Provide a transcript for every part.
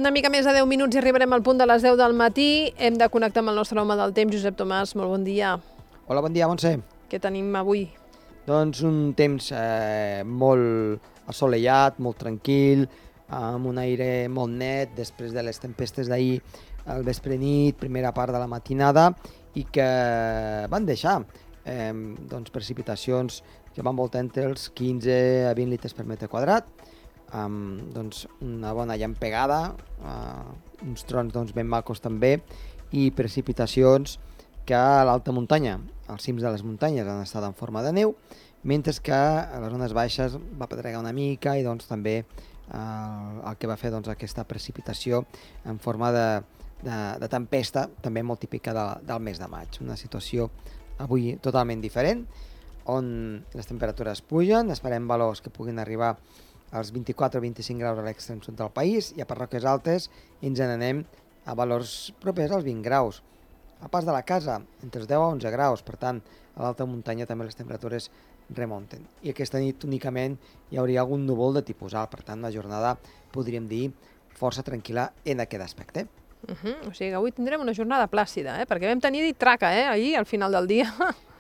una mica més de 10 minuts i arribarem al punt de les 10 del matí. Hem de connectar amb el nostre home del temps, Josep Tomàs. Molt bon dia. Hola, bon dia, Montse. Què tenim avui? Doncs un temps molt assolellat, molt tranquil, amb un aire molt net després de les tempestes d'ahir al vespre nit, primera part de la matinada, i que van deixar precipitacions que van voltar entre els 15 a 20 litres per metre quadrat, amb una bona llampegada, uns trons ben macos també, i precipitacions que a l'alta muntanya, als cims de les muntanyes, han estat en forma de neu, mentre que a les zones baixes va pedregar una mica i també el que va fer aquesta precipitació en forma de tempesta, també molt típica del mes de maig. Una situació avui totalment diferent, on les temperatures pugen, esperem valors que puguin arribar als 24 o 25 graus a l'extrem sud del país, i a parròquies altes ens n'anem a valors propers als 20 graus. A pas de la casa, entre els 10 a 11 graus, per tant, a l'alta muntanya també les temperatures remunten. I aquesta nit únicament hi hauria algun núvol de tipus alt, per tant, una jornada, podríem dir, força tranquil·la en aquest aspecte. O sigui que avui tindrem una jornada plàcida, perquè vam tenir traca, ahir, al final del dia.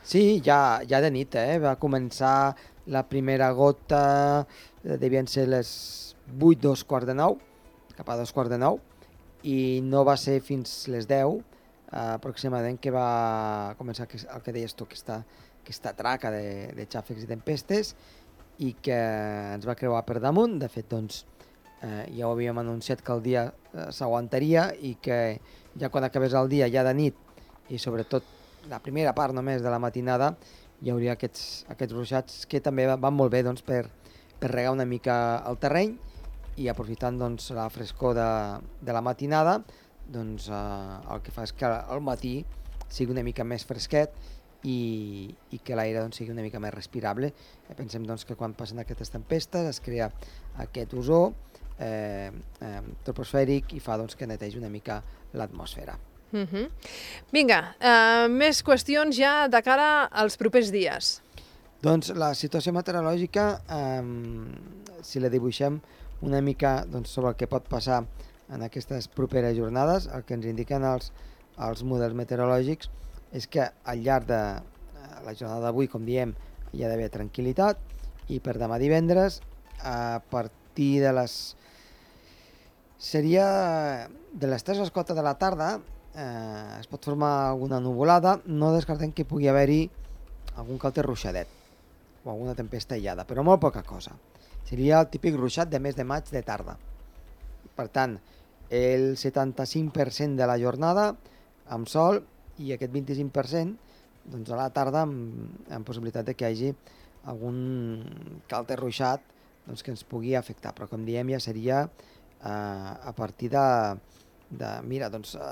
Sí, ja de nit, va començar la primera gota, devien ser les 8, 2:45, cap a 2:45, i no va ser fins les 10, aproximadament, que va començar el que deies tu, aquesta traca de xàfecs i tempestes, i que ens va creuar per damunt. De fet, ja ho havíem anunciat que el dia s'aguantaria i que ja quan acabés el dia, ja de nit, i sobretot la primera part només de la matinada, hi hauria aquests ruixats que també van molt bé per regar una mica el terreny, i aprofitant la frescor de la matinada, el que fa és que al matí sigui una mica més fresquet i que l'aire sigui una mica més respirable. Pensem que quan passen aquestes tempestes es crea aquest ozó troposfèric i fa que netegi una mica l'atmosfera. Vinga, més qüestions ja de cara als propers dies. Doncs la situació meteorològica, si la dibuixem una mica sobre el que pot passar en aquestes properes jornades, el que ens indiquen els models meteorològics és que al llarg de la jornada d'avui, com diem, hi ha d'haver tranquil·litat, i per demà divendres, a partir de les 3 o les 4 de la tarda, es pot formar alguna nuvolada. No descartem que pugui haver-hi algun que altre ruixadet o alguna tempesta aïllada, però molt poca cosa. Seria el típic ruixat de mes de maig de tarda. Per tant, el 75% de la jornada amb sol, i aquest 25% a la tarda amb possibilitat que hi hagi algun que altre ruixat que ens pugui afectar, però com diem ja seria a partir mira,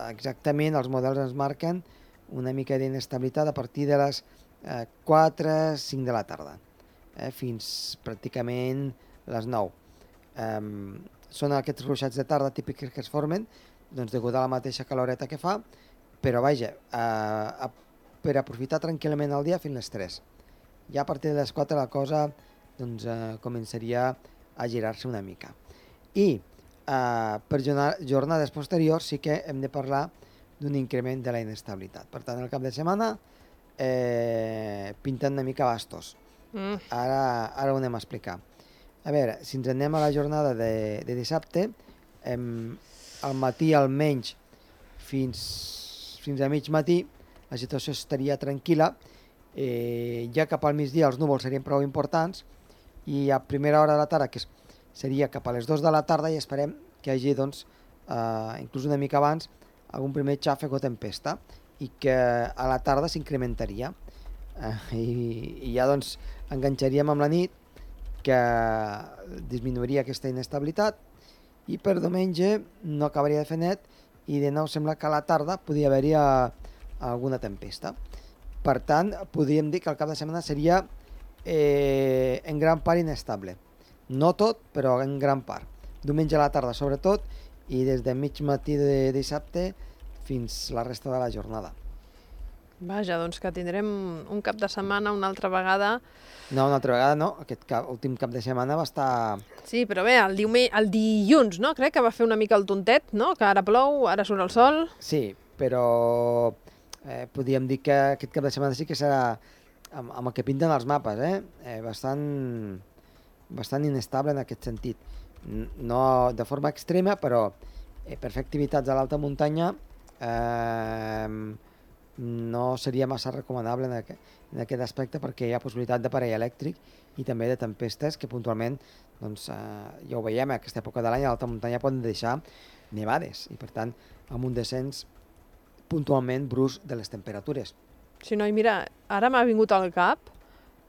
exactament els models ens marquen una mica d'inestabilitat a partir de les 4, 5 de la tarda, fins pràcticament les 9. Són aquests ruixats de tarda típics que es formen degut a la mateixa caloreta que fa, però vaja, per aprofitar tranquil·lament el dia fins les 3. Ja a partir de les 4 la cosa començaria a girar-se una mica. I per jornades posteriors sí que hem de parlar d'un increment de la inestabilitat. Per tant, el cap de setmana pinten una mica bastos. Ara ho anem a explicar. A veure, si ens anem a la jornada de dissabte, al matí almenys fins a mig matí la situació estaria tranquil·la, ja cap al migdia els núvols serien prou importants, i a primera hora de la tarda, que seria cap a les 2 de la tarda, i esperem que hi hagi, inclús una mica abans, algun primer xàfec o tempesta, i que a la tarda s'incrementaria. I ja enganxaríem amb la nit, que disminuiria aquesta inestabilitat, i per diumenge no acabaria de fer net, i de nou sembla que a la tarda podria haver-hi alguna tempesta. Per tant, podríem dir que el cap de setmana seria en gran part inestable. No tot, però en gran part. Diumenge a la tarda sobretot, i des de mig matí de dissabte fins la resta de la jornada. Vaja, doncs que tindrem un cap de setmana una altra vegada. No, una altra vegada no, aquest últim cap de setmana va estar... Sí, però bé, el dilluns, no? Crec que va fer una mica el tontet, no? Que ara plou, ara surt el sol. Sí, però podríem dir que aquest cap de setmana sí que serà amb el que pinten els mapes, bastant inestable en aquest sentit. No de forma extrema, però per fer activitats a l'alta muntanya no seria massa recomanable en aquest aspecte, perquè hi ha possibilitat d'aparell elèctric i també de tempestes que puntualment, doncs, ja ho veiem, a aquesta època de l'any a l'alta muntanya poden deixar nevades i per tant amb un descens puntualment brusc de les temperatures. Sí, no, i mira, ara m'ha vingut al cap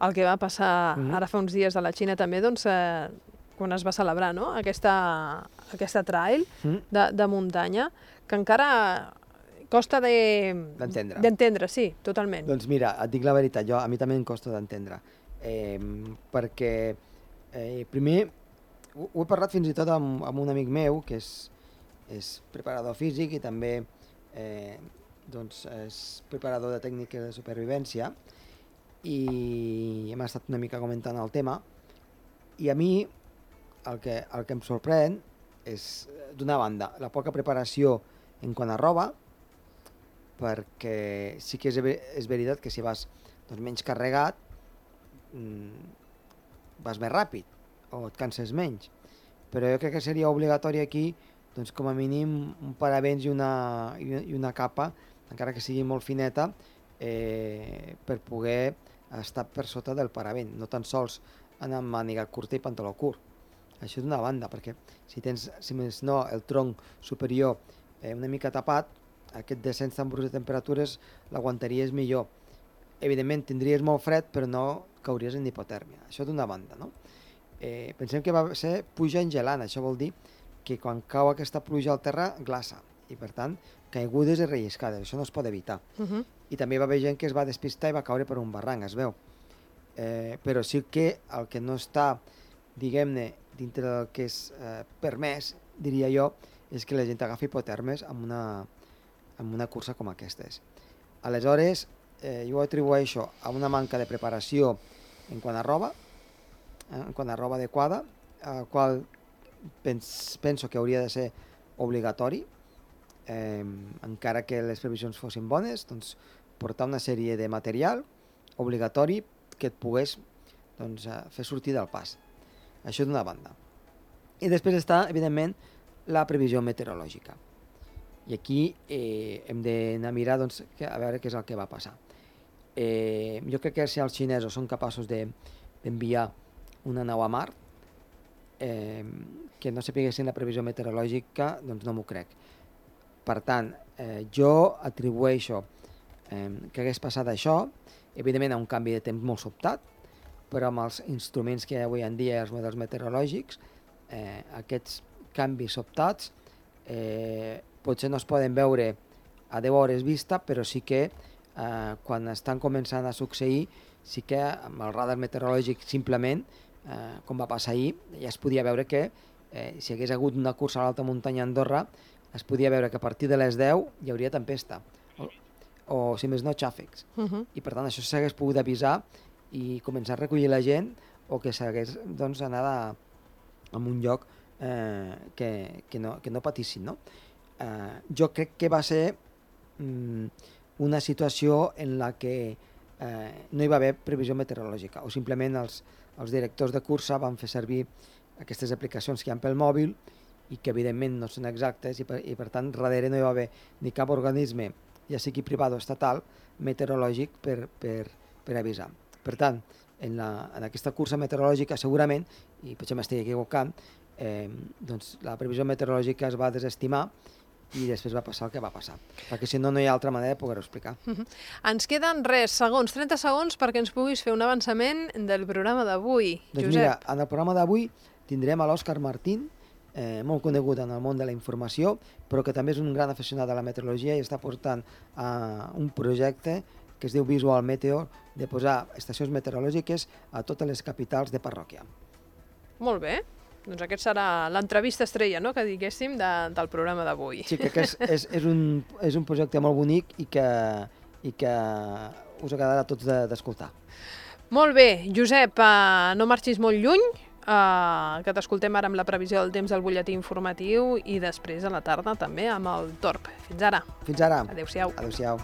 el que va passar ara fa uns dies a la Xina també, doncs, quan es va celebrar, no? Aquesta trail de muntanya, que encara costa d'entendre, sí, totalment. Doncs mira, et dic la veritat, a mi també em costa d'entendre, perquè primer ho he parlat fins i tot amb un amic meu que és preparador físic i també doncs és preparador de tècniques de supervivència i hem estat una mica comentant el tema i a mi el que em sorprèn és, d'una banda, la poca preparació en quant a roba, perquè sí que és veritat que si vas menys carregat vas més ràpid o et canses menys, però jo crec que seria obligatori aquí doncs com a mínim un paravents i una capa, encara que sigui molt fineta, per poder estar per sota del paravent, no tan sols anar amb màniga curta i pantaló curt. Això d'una banda, perquè si tens, si més no, el tronc superior una mica tapat, aquest descens tan brusc de temperatures l'aguantaries millor. Evidentment tindries molt fred, però no cauries en hipotèrmia. Això d'una banda, no? Pensem que va ser pluja engelant, això vol dir que quan cau aquesta pluja al terra glaça i per tant caigudes i relliscades, això no es pot evitar. I també va haver gent que es va despistar i va caure per un barranc, es veu. Però sí que el que no està, diguem-ne, dintre del que és permès, diria jo, és que la gent agafi hipotèrmes amb una cursa com aquestes. Aleshores, jo ho atribueixo a una manca de preparació en quant a roba adequada, el qual penso que hauria de ser obligatori, encara que les previsions fossin bones, doncs portar una sèrie de material obligatori que et pogués fer sortir del pas. Això d'una banda. I després està, evidentment, la previsió meteorològica. I aquí hem d'anar a mirar a veure què és el que va passar. Jo crec que si els xinesos són capaços d'enviar una nau a Mart, que no sapiguessin la previsió meteorològica, doncs no m'ho crec. Per tant, jo atribueixo que hagués passat això, evidentment a un canvi de temps molt sobtat, però amb els instruments que hi ha avui en dia, els models meteorològics, aquests canvis sobtats potser no es poden veure a 10 hores vista, però sí que quan estan començant a succeir, sí que amb el radar meteorològic simplement, com va passar ahir, ja es podia veure que si hagués hagut una cursa a l'alta muntanya a Andorra, es podia veure que a partir de les 10 hi hauria tempesta, o si més no, xàfecs. I per tant això s'hagués pogut avisar i començar a recollir la gent o que s'hagués anat a un lloc que no patissin, no? Jo crec que va ser una situació en la que no hi va haver previsió meteorològica o simplement els directors de cursa van fer servir aquestes aplicacions que hi ha pel mòbil i que evidentment no són exactes i per tant darrere no hi va haver ni cap organisme, ja sigui privat o estatal, meteorològic per avisar. Per tant, en aquesta cursa meteorològica segurament, i potser m'estic equivocant, doncs la previsió meteorològica es va desestimar i després va passar el que va passar, perquè si no, no hi ha altra manera de poder-ho explicar. Ens queden 30 segons perquè ens puguis fer un avançament del programa d'avui. Doncs Josep. mira, en el programa d'avui tindrem a l'Òscar Martín, molt conegut en el món de la informació, però que també és un gran aficionat a la meteorologia i està portant un projecte que es diu Visual Meteor, de posar estacions meteorològiques a totes les capitals de parròquia. Molt bé. Doncs aquest serà l'entrevista estrella, no?, que diguéssim, del programa d'avui. Sí, crec que és un projecte molt bonic i que i que us agradarà a tots d'escoltar. Molt bé, Josep, no marxis molt lluny, que t'escoltem ara amb la previsió del temps del butlletí informatiu i després a la tarda també amb el Torb. Fins ara. Fins ara. Adéu-siau. Adéu-siau.